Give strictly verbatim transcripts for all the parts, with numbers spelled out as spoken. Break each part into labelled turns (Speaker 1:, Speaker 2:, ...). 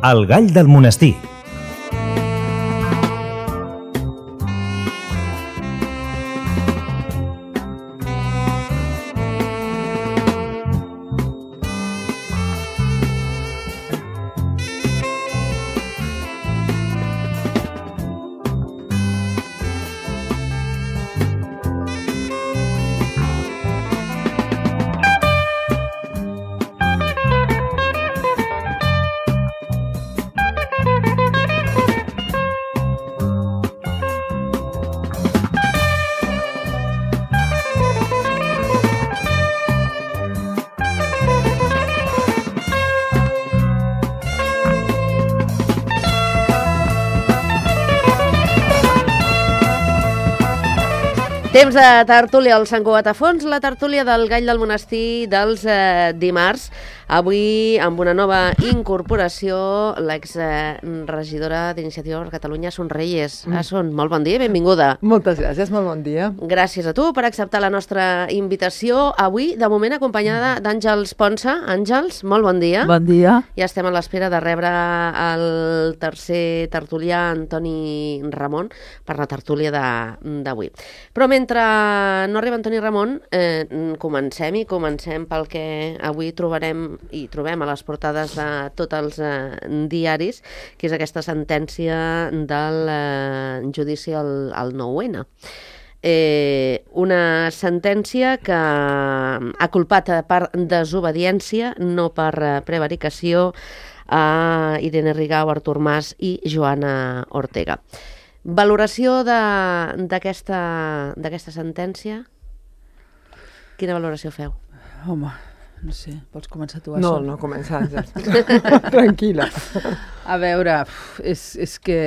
Speaker 1: El gall del monestir.
Speaker 2: Temps de tertúlia al Sant Cugat a fons, la tertúlia del Gall del Monestir dels eh, dimarts. Avui, amb una nova incorporació, l'exregidora d'Iniciativa per Catalunya, Assun Reyes. Mm. Assun, molt bon dia i benvinguda.
Speaker 3: Moltes gràcies, molt bon dia.
Speaker 2: Gràcies a tu per acceptar la nostra invitació. Avui, de moment, acompanyada d'Àngels Ponsa. Àngels, molt bon dia.
Speaker 4: Bon dia.
Speaker 2: Ja estem a l'espera de rebre el tercer tertulià, Antoni Ramon, per la tertúlia d'avui. Però mentre no arriba Antoni Ramon, eh, comencem i comencem pel que avui trobarem i trobem a les portades de tots els eh, diaris, que és aquesta sentència del eh, judici al, al nou ene. Eh, una sentència que ha culpat per desobediència, no per eh, prevaricació, a Irene Rigau, Artur Mas i Joana Ortega. Valoració d'aquesta d'aquesta sentència? Quina valoració feu?
Speaker 4: Home, no sé, pots començar tu?
Speaker 3: No, no començar, ja. Tranquil·la.
Speaker 4: A veure, és, és que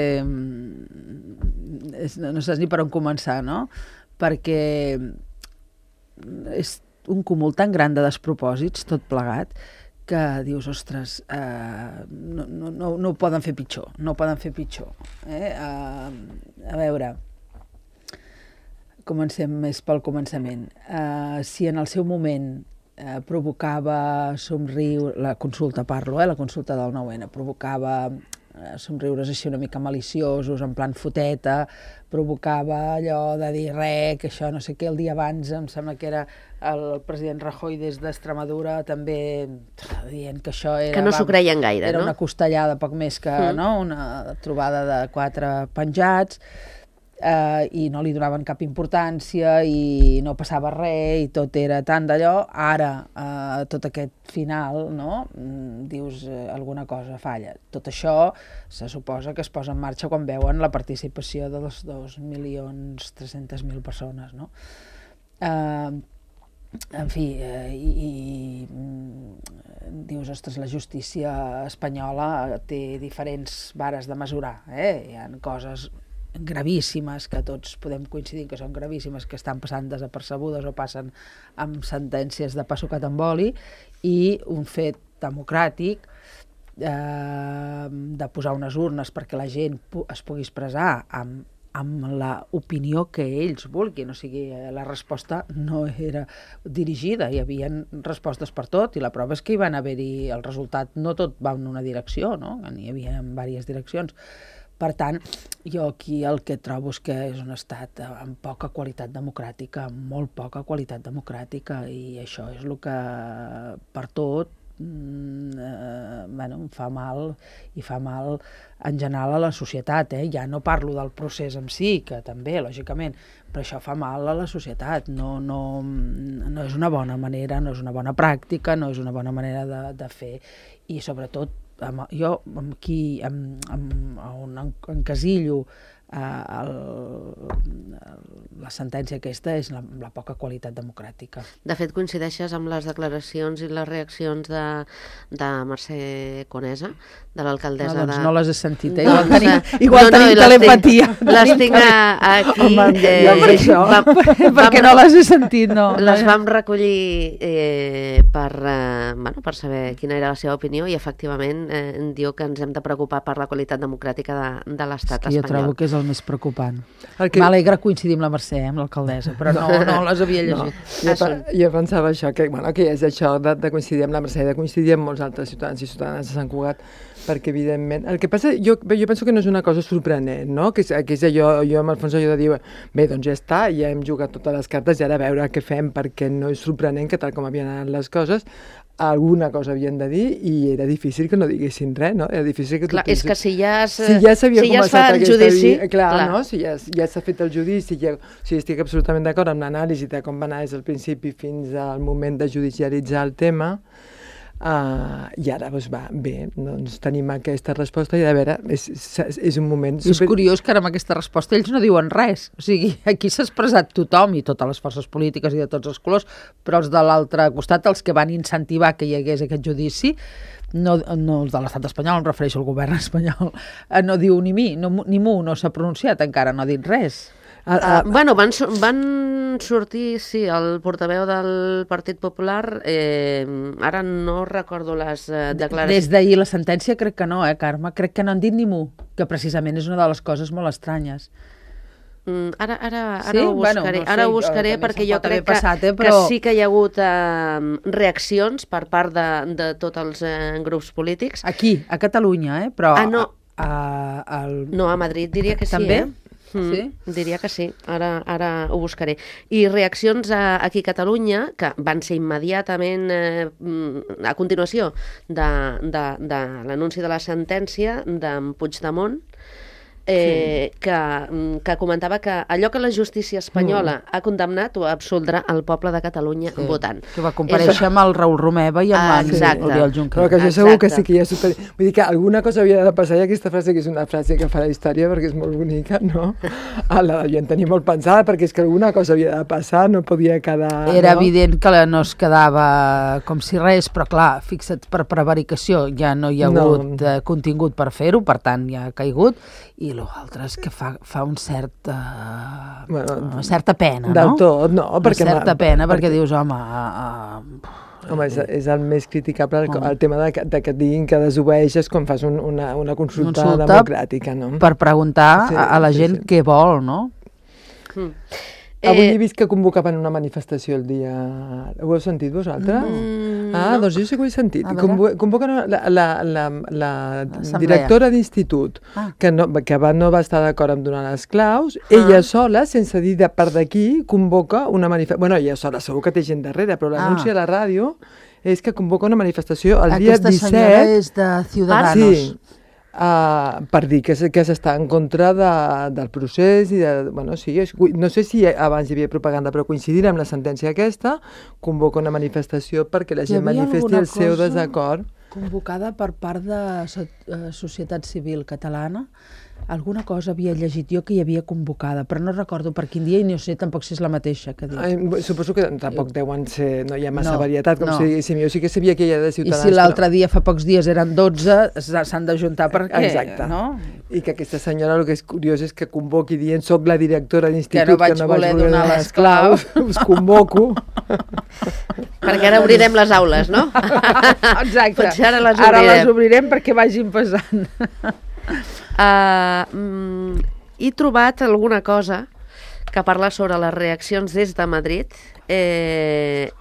Speaker 4: és, no saps ni per on començar, no? Perquè és un cúmul tan gran de despropòsits, tot plegat, que dius, ostres, eh, no, no, no, no ho poden fer pitjor, no ho poden fer pitjor. Eh? Uh, a veure, comencem més pel començament. Uh, si en el seu moment eh, provocava somriure, la consulta parlo, eh, la consulta del nou ene, provocava eh, somriures així una mica maliciosos, en plan foteta, provocava allò de dir res, que això no sé què, el dia abans em sembla que era el president Rajoy des d'Extremadura també dient que això era...
Speaker 2: Que no s'ho creien gaire,
Speaker 4: era
Speaker 2: no?
Speaker 4: Una costellada, poc més que
Speaker 2: mm.
Speaker 4: no? Una trobada de quatre penjats, eh, i no li donaven cap importància i no passava res i tot era tant d'allò. Ara, eh, tot aquest final, no? Dius, eh, alguna cosa falla. Tot això se suposa que es posa en marxa quan veuen la participació de les dos milions tres-centes mil persones, no? Eh, en fi, eh, i, i dius, ostres, la justícia espanyola té diferents vares de mesurar, eh? Hi ha coses gravíssimes que tots podem coincidir que són gravíssimes, que estan passant desapercebudes o passen amb sentències de pa sucat amb oli, i un fet democràtic eh, de posar unes urnes perquè la gent es pugui expressar amb amb l'opinió que ells vulguin, o sigui, la resposta no era dirigida, hi havia respostes per tot, i la prova és que hi van haver-hi, el resultat no tot va en una direcció, no? N'hi havia en diverses direccions. Per tant, jo aquí el que trobo és que és un estat amb poca qualitat democràtica, amb molt poca qualitat democràtica, i això és el que per tot Mm, eh, bueno, em fa mal, i fa mal en general a la societat, eh? Ja no parlo del procés en si, que també, lògicament, però això fa mal a la societat, no, no, no és una bona manera, no és una bona pràctica, no és una bona manera de, de fer, i sobretot amb, jo amb qui, amb, amb, on encasillo eh, el, la sentència aquesta és la, la poca qualitat democràtica.
Speaker 2: De fet, coincideixes amb les declaracions i les reaccions de, de Mercè Conesa, de l'alcaldessa
Speaker 4: no, doncs
Speaker 2: de...
Speaker 4: no les he sentit, eh?
Speaker 2: No,
Speaker 4: Igual tenim,
Speaker 2: no,
Speaker 4: igual
Speaker 2: no,
Speaker 4: tenim
Speaker 2: no,
Speaker 4: telepatia.
Speaker 2: Les tinc aquí...
Speaker 4: Home,
Speaker 2: eh,
Speaker 4: jo per això,
Speaker 2: vam,
Speaker 4: perquè
Speaker 2: vam,
Speaker 4: no les he sentit, no.
Speaker 2: Les vam recollir eh, per, eh, bueno, per saber quina era la seva opinió, i efectivament eh, diu que ens hem de preocupar per la qualitat democràtica de, de l'estat espanyol.
Speaker 4: Jo trobo que és és el més preocupant.
Speaker 3: El que...
Speaker 4: M'alegra coincidir amb la Mercè, amb l'alcaldessa, però no, no les havia llegit.
Speaker 3: No. Jo, pe jo pensava això, que, bueno, que és això de, de coincidir amb la Mercè, de coincidir amb molts altres ciutadans i ciutadanes de Sant Cugat, perquè evidentment... El que passa, jo, jo penso que no és una cosa sorprenent, no? Que és, que és allò, jo amb el fons allò de dir, bé, doncs ja està, ja hem jugat totes les cartes i ara a veure què fem, perquè no és sorprenent que tal com havien anat les coses, alguna cosa havien de dir i era difícil que no diguessin res, no? Era difícil que
Speaker 2: clar, és que si ja es,
Speaker 3: si ja s'havia
Speaker 2: si ja es
Speaker 3: començat
Speaker 2: fa el
Speaker 3: aquesta
Speaker 2: judici...
Speaker 3: Vida, clar,
Speaker 2: clar,
Speaker 3: no? Si ja, ja s'ha fet el judici, ja, o sigui, estic absolutament d'acord amb l'anàlisi de com va anar des del principi fins al moment de judicialitzar el tema, uh, i ara doncs va, bé, doncs tenim aquesta resposta i a veure, és, és, és un moment...
Speaker 4: Super... És curiós que ara amb aquesta resposta ells no diuen res, o sigui, aquí s'ha expressat tothom i totes les forces polítiques i de tots els colors, però els de l'altre costat, els que van incentivar que hi hagués aquest judici, no, no els de l'estat espanyol, em refereixo al govern espanyol, no diu ni mi, no, ni mu, no s'ha pronunciat encara, no ha dit res.
Speaker 2: Uh, uh, bueno, van, van sortir, sí, el portaveu del Partit Popular, eh, ara no recordo les eh, declaracions.
Speaker 4: Des d'ahir la sentència crec que no, eh, Carme? Crec que no han dit ni mu, que precisament és una de les coses molt estranyes.
Speaker 2: Mm, ara, ara, ara
Speaker 4: sí?
Speaker 2: ho buscaré,
Speaker 4: bueno, no sé,
Speaker 2: ara ho buscaré perquè jo crec
Speaker 4: passat,
Speaker 2: que,
Speaker 4: eh, però...
Speaker 2: que sí que hi ha hagut eh, reaccions per part de, de tots els eh, grups polítics.
Speaker 4: Aquí, a Catalunya, eh? Però
Speaker 2: ah, no.
Speaker 4: A, a, al...
Speaker 2: no, a Madrid diria que sí,
Speaker 4: també?
Speaker 2: eh? Mm,
Speaker 4: sí?
Speaker 2: Diria que sí, ara, ara ho buscaré. I reaccions a, aquí a Catalunya, que van ser immediatament, eh, a continuació de, de, de l'anunci de la sentència d'en Puigdemont, eh, sí. que, que comentava que allò que la justícia espanyola mm. ha condemnat ho absoldrà el poble de Catalunya sí. votant.
Speaker 4: Que va comparèixer amb el Raül Romeva i amb ah, l'Oriol Junqueras.
Speaker 3: Però que això segur que sí que ja super... Vull dir que alguna cosa havia de passar i aquesta frase que és una frase que fa la història perquè és molt bonica, no? Ah, la devien tenir molt pensada perquè és que alguna cosa havia de passar, no podia quedar...
Speaker 4: Era
Speaker 3: no?
Speaker 4: evident que no es quedava com si res, però clar, fixa't, per prevaricació ja no hi ha hagut no. eh, contingut per fer-ho, per tant ja ha caigut, i l'altre és que fa, fa un cert, uh, bueno, una certa pena, no?
Speaker 3: Del tot, no.
Speaker 4: Una
Speaker 3: perquè
Speaker 4: certa pena, perquè, perquè dius, home... Uh, uh,
Speaker 3: home, és, és el més criticable, el, el tema de, de que et diguin que desobeeixes quan fas un, una, una consulta, consulta democràtica, no?
Speaker 4: Per preguntar sí, a, a la gent sí, sí. què vol, no?
Speaker 2: Mm.
Speaker 3: Avui he vist que convocaven una manifestació el dia... Ho heu sentit vosaltres? Mm, ah, no. Doncs jo sí que ho he sentit. Convo convoquen la, la, la, la directora d'institut, ah. que, no, que va, no va estar d'acord amb donar les claus, ah. ella sola, sense dir de part d'aquí, convoca una manifestació... Bueno, ella sola, segur que té gent darrere, però l'anunci ah. a la ràdio és que convoca una manifestació el dia disset...
Speaker 4: Aquesta senyora és de Ciudadanos.
Speaker 3: Sí. Uh, per dir que, que s'està en contra de, del procés i de, bueno, sí, és, no sé si abans hi havia propaganda, però coincidint amb la sentència aquesta, convoca una manifestació perquè la gent manifesti el seu desacord.
Speaker 4: Convocada per part de uh, Societat Civil Catalana, alguna cosa havia llegit jo que hi havia convocada, però no recordo per quin dia i no sé tampoc si és la mateixa que dic.
Speaker 3: Ai, suposo que tampoc deuen ser, no hi ha massa
Speaker 4: no,
Speaker 3: varietat, com
Speaker 4: no.
Speaker 3: si diguéssim, jo sí que sabia que hi ha de Ciutadans.
Speaker 4: I si l'altre
Speaker 3: però...
Speaker 4: dia, fa pocs dies, eren dotze, s'han d'ajuntar per què?
Speaker 3: Exacte.
Speaker 4: No?
Speaker 3: I que aquesta senyora, el que és curiós és que convoqui dient soc la directora d'institut,
Speaker 4: que no vaig, que no vaig voler donar les claus,
Speaker 3: us convoco.
Speaker 2: Perquè ara obrirem les aules, no?
Speaker 4: Exacte.
Speaker 2: Potser ara les obrirem.
Speaker 4: Ara les obrirem perquè vagin passant.
Speaker 2: Uh, mm, he trobat alguna cosa que parla sobre les reaccions des de Madrid. Eh,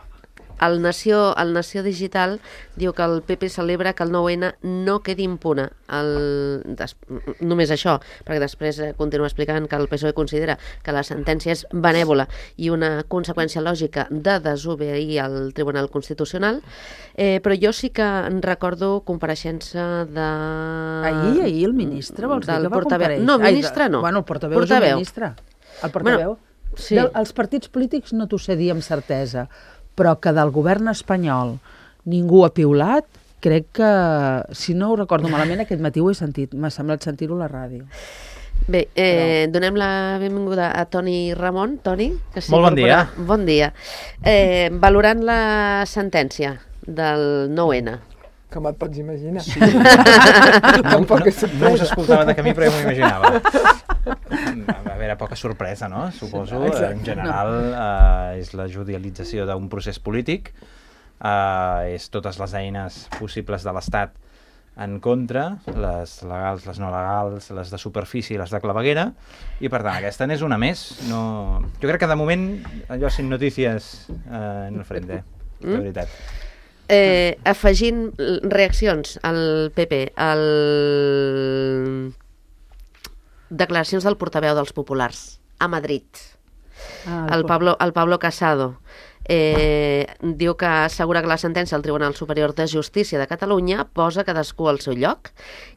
Speaker 2: el Nació, el Nació Digital diu que el P P celebra que el nou ene no quedi impune. El, des, només això, perquè després eh, continua explicant que el P S O E considera que la sentència és benèvola i una conseqüència lògica de desobeir el Tribunal Constitucional, eh, però jo sí que en recordo compareixença de...
Speaker 4: Ahir, ahir el ministre, vols dir que va compareixer?
Speaker 2: No, ministre no.
Speaker 4: Bueno, el portaveu, portaveu. és el ministre. El portaveu. Bueno, sí. Del, els partits polítics no t'ho sé dir amb certesa, però que del govern espanyol ningú ha piulat, crec que, si no ho recordo malament, aquest matí ho he sentit, m'ha semblat sentir-ho a la ràdio.
Speaker 2: Bé, eh, però... donem la benvinguda a Toni Ramon. Toni, que sí,
Speaker 1: molt bon dia.
Speaker 2: Bon dia. Eh, valorant la sentència del nou ene.
Speaker 3: Com et pots imaginar?
Speaker 1: Sí. no, no, no us escoltava de camí, però ja m'ho imaginava. A veure, poca sorpresa, no? Suposo. Exacte. En general, eh, és la judicialització d'un procés polític, eh, és totes les eines possibles de l'Estat en contra, les legals, les no legals, les de superfície i les de claveguera, i per tant aquesta n'és una més. No... Jo crec que de moment allò sin notícies eh, en el frente, de
Speaker 2: Mm.
Speaker 1: veritat.
Speaker 2: Eh, afegint reaccions al P P, al... declaracions del portaveu dels populars a Madrid,
Speaker 4: Ah,
Speaker 2: el Pablo, el Pablo Casado. Eh, diu que assegura que la sentència del Tribunal Superior de Justícia de Catalunya posa cadascú al seu lloc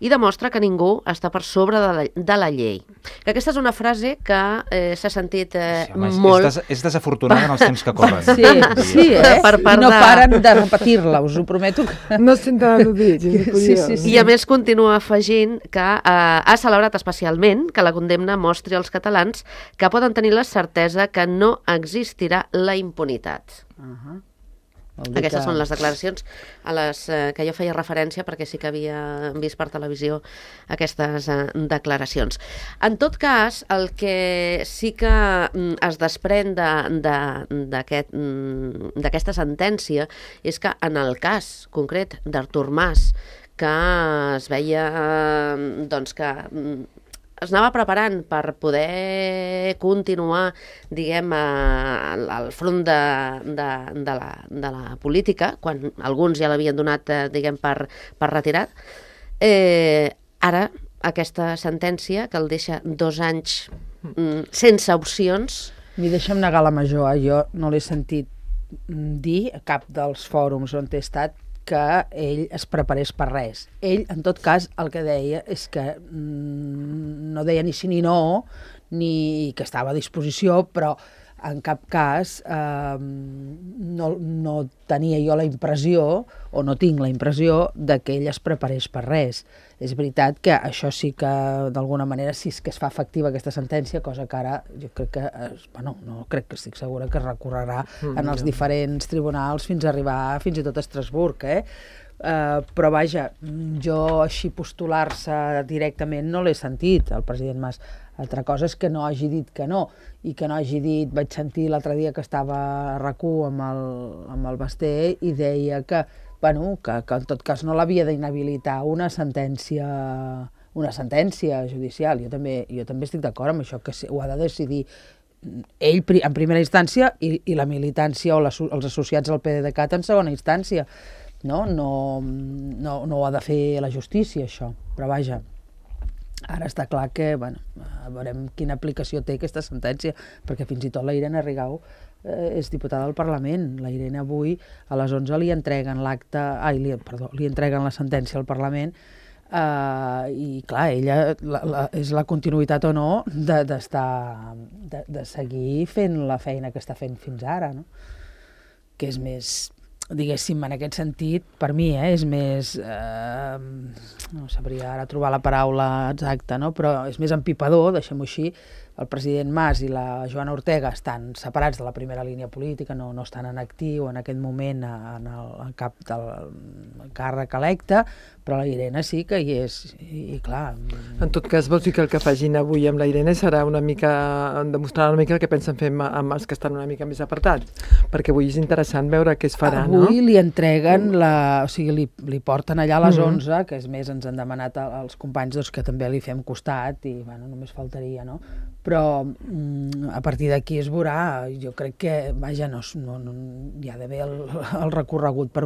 Speaker 2: i demostra que ningú està per sobre de la, de la llei. Que aquesta és una frase que eh, s'ha sentit eh,
Speaker 1: Sí, home, és,
Speaker 2: molt...
Speaker 1: és, des, és desafortunada en els temps que corren.
Speaker 4: Sí, sí, eh?
Speaker 2: Per part
Speaker 4: I no
Speaker 2: de-
Speaker 4: paren de repetir-la, us ho prometo. Que...
Speaker 3: No es senten al·ludits, és
Speaker 4: Sí,
Speaker 3: curiós.
Speaker 4: sí, sí.
Speaker 2: I a més continua afegint que eh, ha celebrat especialment que la condemna mostri als catalans que poden tenir la certesa que no existirà la impunitat.
Speaker 4: Uh -huh.
Speaker 2: Aquestes són les declaracions a les eh, que jo feia referència perquè sí que havia vist per televisió aquestes eh, declaracions. En tot cas, el que sí que mm, es desprèn d'aquesta de, mm, d'aquesta sentència és que en el cas concret d'Artur Mas, que es veia eh, doncs que mm, es anava preparant per poder continuar, diguem, al, al front de, de, de, la, de la política, quan alguns ja l'havien donat, eh, diguem, per, per retirat. Eh, ara, aquesta sentència, que el deixa dos anys mm, sense opcions...
Speaker 4: Mi deixa'm negar la major, eh? Jo no l'he sentit dir a cap dels fòrums on he estat que ell es preparés per res. Ell, en tot cas, el que deia és que mm, no deia ni sí ni no, ni que estava a disposició, però en cap cas eh, no, no tenia jo la impressió, o no tinc la impressió, de que ell es preparés per res. És veritat que això sí que, d'alguna manera, sí que es fa efectiva aquesta sentència, cosa que ara jo crec que, es, bueno, no crec que estic segura que es recorrerà mm, en els ja. diferents tribunals fins a arribar fins i tot a Estrasburg, eh? Uh, però vaja, jo així postular-se directament no l'he sentit, el president Mas. Altra cosa és que no hagi dit que no, i que no hagi dit, vaig sentir l'altre dia que estava a RAC u amb el, amb el Basté i deia que, bueno, que, que en tot cas no l'havia d'inhabilitar una sentència, una sentència judicial. Jo també, jo també estic d'acord amb això, que ho ha de decidir ell en primera instància i, i la militància o les, els associats al PDeCAT en segona instància. No? No, no, no ho ha de fer la justícia, això, però vaja, ara està clar que, bueno, veurem quina aplicació té aquesta sentència, perquè fins i tot la Irene Rigau eh, és diputada del Parlament. La Irene avui a les onze li entreguen l'acte, ai, li, perdó, li entreguen la sentència al Parlament, eh, i clar, ella la, la, és la continuïtat o no de, d'estar, de, de seguir fent la feina que està fent fins ara, no? Que és més... diguéssim, en aquest sentit, per mi, eh, és més, eh, no sabria ara trobar la paraula exacta, no? Però és més empipador, deixem-ho així. El president Mas i la Joana Ortega estan separats de la primera línia política, no, no estan en actiu en aquest moment en el en cap del càrrec electe, però la Irene sí que hi és, i, i clar...
Speaker 3: En tot cas, vols dir que el que facin avui amb la Irene serà una mica, demostrar una mica el que pensen fer amb els que estan una mica més apartats? Perquè avui és interessant veure què es farà,
Speaker 4: avui,
Speaker 3: no?
Speaker 4: Avui li entreguen, la, o sigui, li, li porten allà a les onze, que és més, ens han demanat els companys doncs, que també li fem costat, i bueno, només faltaria, no? Però mm, a partir d'aquí es veurà, jo crec que, vaja, no, no, no, hi ha d'haver el, el recorregut per,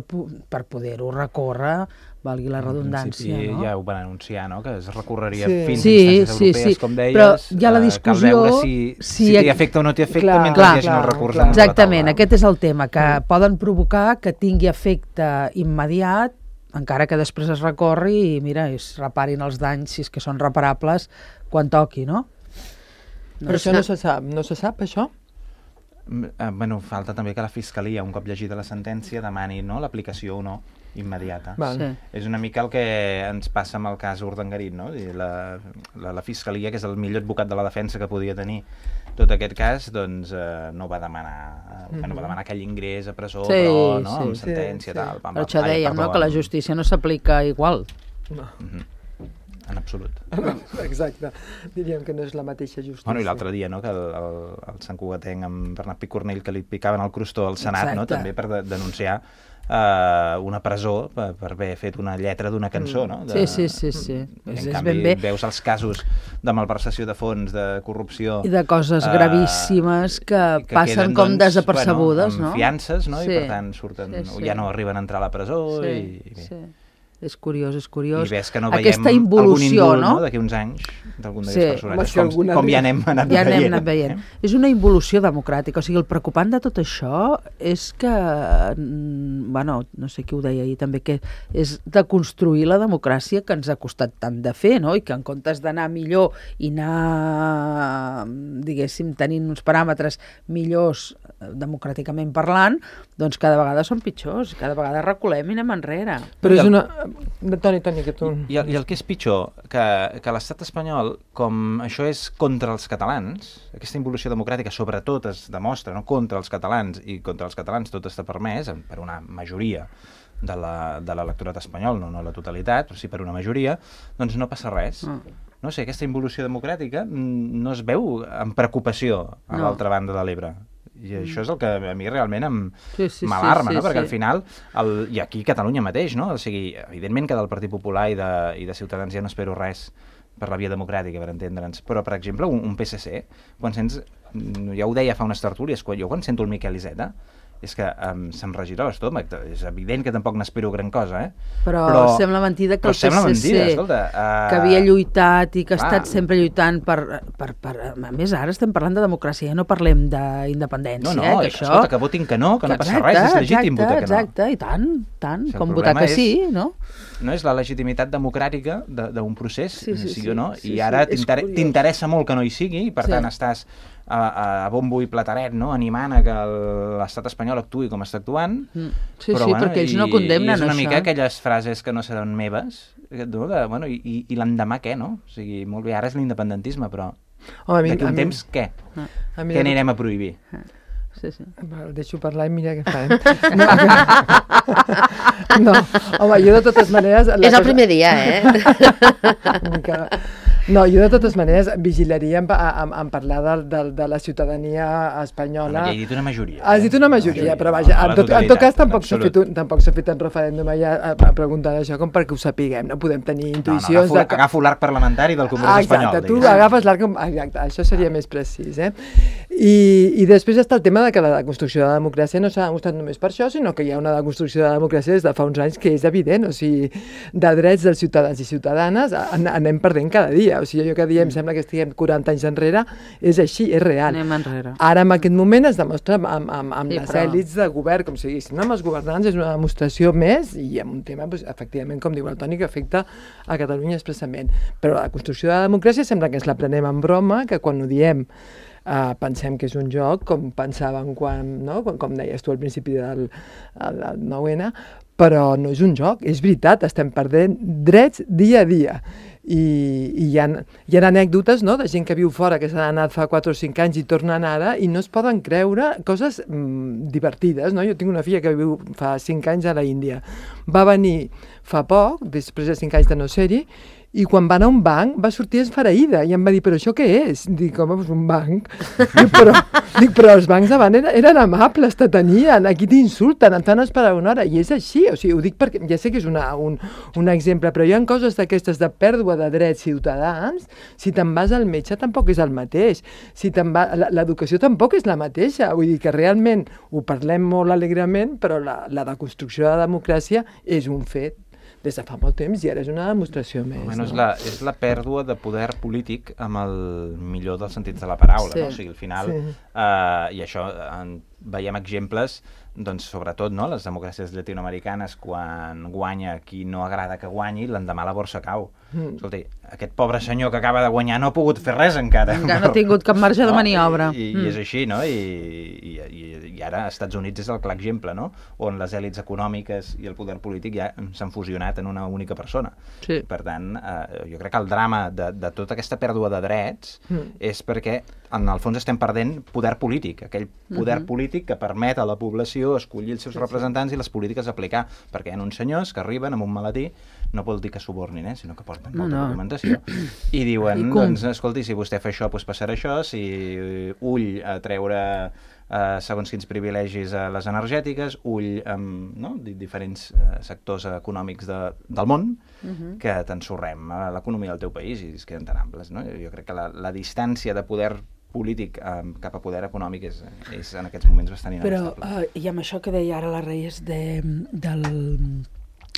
Speaker 4: per poder-ho recórrer, valgui la redundància,
Speaker 1: en
Speaker 4: no?
Speaker 1: Ja ho van anunciar, no?, que es recorreria
Speaker 3: sí.
Speaker 1: fins
Speaker 4: sí,
Speaker 1: a instàncies
Speaker 4: sí,
Speaker 1: europees,
Speaker 4: sí.
Speaker 1: com deies,
Speaker 4: però hi ha la discussió...
Speaker 1: cal veure si, si, si t'hi afecta o no t'hi afecta clar, mentre
Speaker 4: clar,
Speaker 1: hi hagi el recurs
Speaker 3: clar.
Speaker 4: Exactament, aquest és el tema, que mm. poden provocar que tingui efecte immediat, encara que després es recorri i, mira, es reparin els danys, si és que són reparables, quan toqui, no?
Speaker 3: No, però això no se sap, no se sap, això?
Speaker 1: Eh, bueno, falta també que la Fiscalia, un cop llegida la sentència, demani, no?, l'aplicació o no immediata.
Speaker 3: Sí.
Speaker 1: És una mica el que ens passa amb el cas Urdangarín, no? La, la, la Fiscalia, que és el millor advocat de la defensa que podia tenir tot aquest cas, doncs eh, no va demanar, mm-hmm. bueno, va demanar aquell ingrés a presó,
Speaker 4: sí,
Speaker 1: però, no?,
Speaker 4: sí,
Speaker 1: amb sentència,
Speaker 3: sí,
Speaker 1: tal.
Speaker 3: sí.
Speaker 1: Pam,
Speaker 4: Però això dèiem, no?, que la justícia no s'aplica igual.
Speaker 3: No.
Speaker 1: Mm-hmm. En absolut.
Speaker 3: Exacte. Diríem que no és la mateixa justícia.
Speaker 1: Bueno, i l'altre dia, no?, que el, el, el Sant Cugatenc amb Bernat Picornell, que li picaven el crostó al Senat, exacte. No?, també per de, denunciar uh, una presó per, per haver fet una lletra d'una cançó, no?
Speaker 4: De... Sí, sí, sí. sí.
Speaker 1: En
Speaker 4: és,
Speaker 1: canvi,
Speaker 4: és ben bé.
Speaker 1: Veus els casos de malversació de fons, de corrupció...
Speaker 4: I de coses uh, gravíssimes que, que passen queden, com doncs, desapercebudes,
Speaker 1: bueno,
Speaker 4: no?
Speaker 1: Amb fiances, no? Sí. I per tant surten, sí, sí. ja no arriben a entrar a la presó
Speaker 4: sí,
Speaker 1: i... i
Speaker 4: sí. És curiós, és curiós.
Speaker 1: I ves que no veiem
Speaker 4: aquesta involució,
Speaker 1: algun indult,
Speaker 4: no?
Speaker 1: no? D'aquí uns anys, d'algun d'aquests
Speaker 4: sí.
Speaker 1: personatges, com, com, com ja anem anat
Speaker 4: ja
Speaker 1: veient.
Speaker 4: Anem anat veient. Eh? És una involució democràtica. O sigui, el preocupant de tot això és que, bueno, no sé qui ho deia ahir també, que és de construir la democràcia que ens ha costat tant de fer, no? I que en comptes d'anar millor i anar, diguéssim, tenint uns paràmetres millors democràticament parlant, doncs cada vegada són pitjors, cada vegada reculem i anem enrere.
Speaker 3: Però és una... Toni, Toni, que tu...
Speaker 1: I, i el que és pitjor, que, que l'estat espanyol, com això és contra els catalans, aquesta involució democràtica sobretot es demostra, no? Contra els catalans, i contra els catalans tot està permès, per una majoria de l'electorat espanyol, no, no la totalitat, però sí per una majoria, doncs no passa res. Mm. No sé, aquesta involució democràtica no es veu amb preocupació a no. l'altra banda de l'Ebre. I mm. això és el que a mi realment em
Speaker 4: sí, sí,
Speaker 1: m'alarma,
Speaker 4: sí, sí,
Speaker 1: no? Perquè
Speaker 4: sí.
Speaker 1: al final, el, i aquí a Catalunya mateix, no? O sigui, evidentment que del Partit Popular i de, i de Ciutadans ja no espero res per la via democràtica, per entendre'ns, però, per exemple, un, un P S C, quan sents, ja ho deia fa unes tertúlies, quan, jo quan sento el Miquel Iceta, és que um, se'm regira l'estómac. És evident que tampoc n'espero gran cosa, eh?
Speaker 4: Però, però sembla mentida que el P S C,
Speaker 1: mentida, escolta, uh...
Speaker 4: que havia lluitat i que ha estat sempre lluitant per, per, per... A més, ara estem parlant de democràcia, ja no parlem d'independència,
Speaker 1: no, no,
Speaker 4: eh?
Speaker 1: Que això... escolta, que votin que no, que no passa exacte, res, és legítim
Speaker 4: exacte,
Speaker 1: votar que no.
Speaker 4: Exacte, i tant, tant, si com votar que és, sí, no?
Speaker 1: No és la legitimitat democràtica d'un procés,
Speaker 4: sí, sí,
Speaker 1: sí,
Speaker 4: sí
Speaker 1: o no,
Speaker 4: sí,
Speaker 1: i ara
Speaker 4: sí,
Speaker 1: t'interessa molt que no hi sigui, i per
Speaker 4: sí.
Speaker 1: tant estàs a, a bombo i plataret, no? Animant a que l'estat espanyol actuï com està actuant,
Speaker 4: mm. sí,
Speaker 1: però,
Speaker 4: sí,
Speaker 1: bueno,
Speaker 4: perquè ells
Speaker 1: i,
Speaker 4: no condemnen
Speaker 1: i és una
Speaker 4: això.
Speaker 1: mica aquelles frases que no seran meves, no? De, bueno, i, i, i l'endemà què, no? O sigui, molt bé, ara és l'independentisme, però d'aquí un temps què?
Speaker 3: Ah.
Speaker 1: Què anirem a prohibir?
Speaker 4: Ah. Sí, sí.
Speaker 3: El deixo parlar i mira què farem. No, no, home, jo de totes maneres...
Speaker 2: És el primer dia, eh?
Speaker 3: que... No, jo de totes maneres vigilaria en, en, en parlar de, de, de la ciutadania espanyola.
Speaker 1: Home, ja he dit una majoria.
Speaker 3: Has dit una majoria, majoria però vaja, en tot, en tot cas tampoc s'ha fet, un, tampoc s'ha fet un referèndum allà a, a preguntar això com perquè ho sapiguem, no podem tenir intuïcions...
Speaker 1: No, no, agafo, de... agafo l'arc parlamentari del Congrés
Speaker 3: ah, exacte,
Speaker 1: espanyol.
Speaker 3: Tu digues. agafes l'arc... Exacte, això seria més precís, eh? I, I després està el tema de que la construcció de la democràcia no s'ha demostrat només per això, sinó que hi ha una construcció de la democràcia des de fa uns anys que és evident, o sigui, de drets dels ciutadans i ciutadanes an anem perdent cada dia, o sigui, jo cada dia em sembla que estiguem quaranta anys enrere, és així, és real.
Speaker 4: Anem enrere.
Speaker 3: Ara, en aquest moment, es demostra amb, amb, amb
Speaker 4: sí,
Speaker 3: les
Speaker 4: però...
Speaker 3: èlits de govern, com si diguéssim, no? Amb els governants és una demostració més i amb un tema, doncs, efectivament, com diu el Toni, que afecta a Catalunya expressament. Però la construcció de la democràcia sembla que ens la prenem en broma, que quan ho diem Uh, pensem que és un joc, com pensàvem quan, no? com, com deies tu al principi del, del nou ene, però no és un joc, és veritat, estem perdent drets dia a dia. I, i hi, ha, hi ha anècdotes, no?, de gent que viu fora, que s'han anat fa quatre o cinc anys i tornen ara i no es poden creure coses mm, divertides, no? Jo tinc una filla que viu fa cinc anys a la Índia. Va venir fa poc, després de cinc anys de no ser-hi, i quan va anar a un banc va sortir esfereïda i em va dir, però això què és? Dic, home, doncs un banc. Dic, però, dic, però els bancs abans eren, eren amables, t'atenien, aquí t'insulten, et fan esperar una hora, i és així, o sigui, ho dic perquè ja sé que és una, un, un exemple, però hi ha coses d'aquestes de pèrdua de drets ciutadans, si te'n vas al metge tampoc és el mateix, si te'n va, l'educació tampoc és la mateixa, vull dir que realment ho parlem molt alegrement, però la, la deconstrucció de la democràcia és un fet des de fa molt temps i ara és una demostració més.
Speaker 1: Bueno,
Speaker 3: no?
Speaker 1: és, la, és la pèrdua de poder polític amb el millor dels sentits de la paraula,
Speaker 3: sí.
Speaker 1: no? O sigui, al final,
Speaker 3: sí.
Speaker 1: eh, i això en, veiem exemples, doncs sobretot, no?, les democràcies llatinoamericanes, quan guanya qui no agrada que guanyi, l'endemà la borsa cau. Mm. Escolta, aquest pobre senyor que acaba de guanyar no ha pogut fer res encara.
Speaker 4: Encara no ha tingut cap marge de maniobra.
Speaker 1: No? I, i, mm. i és així, no? I, i, i, i ara als Estats Units és el clar exemple, no?, on les èlits econòmiques i el poder polític ja s'han fusionat en una única persona.
Speaker 4: Sí.
Speaker 1: Per tant, eh, jo crec que el drama de, de tota aquesta pèrdua de drets mm. és perquè en el fons estem perdent poder polític, aquell poder mm-hmm. polític que permet a la població escollir els seus sí, representants sí. i les polítiques aplicar, perquè hi ha uns senyors que arriben amb un maletí, no vol dir que subornin, eh, sinó que porten molta no, no. documentació, i diuen, I doncs, escolti, si vostè fa això, doncs passarà això, si ull a treure eh, segons quins privilegis a les energètiques, ull amb no? diferents eh, sectors econòmics de, del món, uh-huh. que t'ensorrem a l'economia del teu país i es queden tan amples. No? Jo crec que la, la distància de poder polític eh, cap a poder econòmic és, és en aquests moments bastant inabastable.
Speaker 4: Però, uh, i amb això que deia ara la Reyes de, del,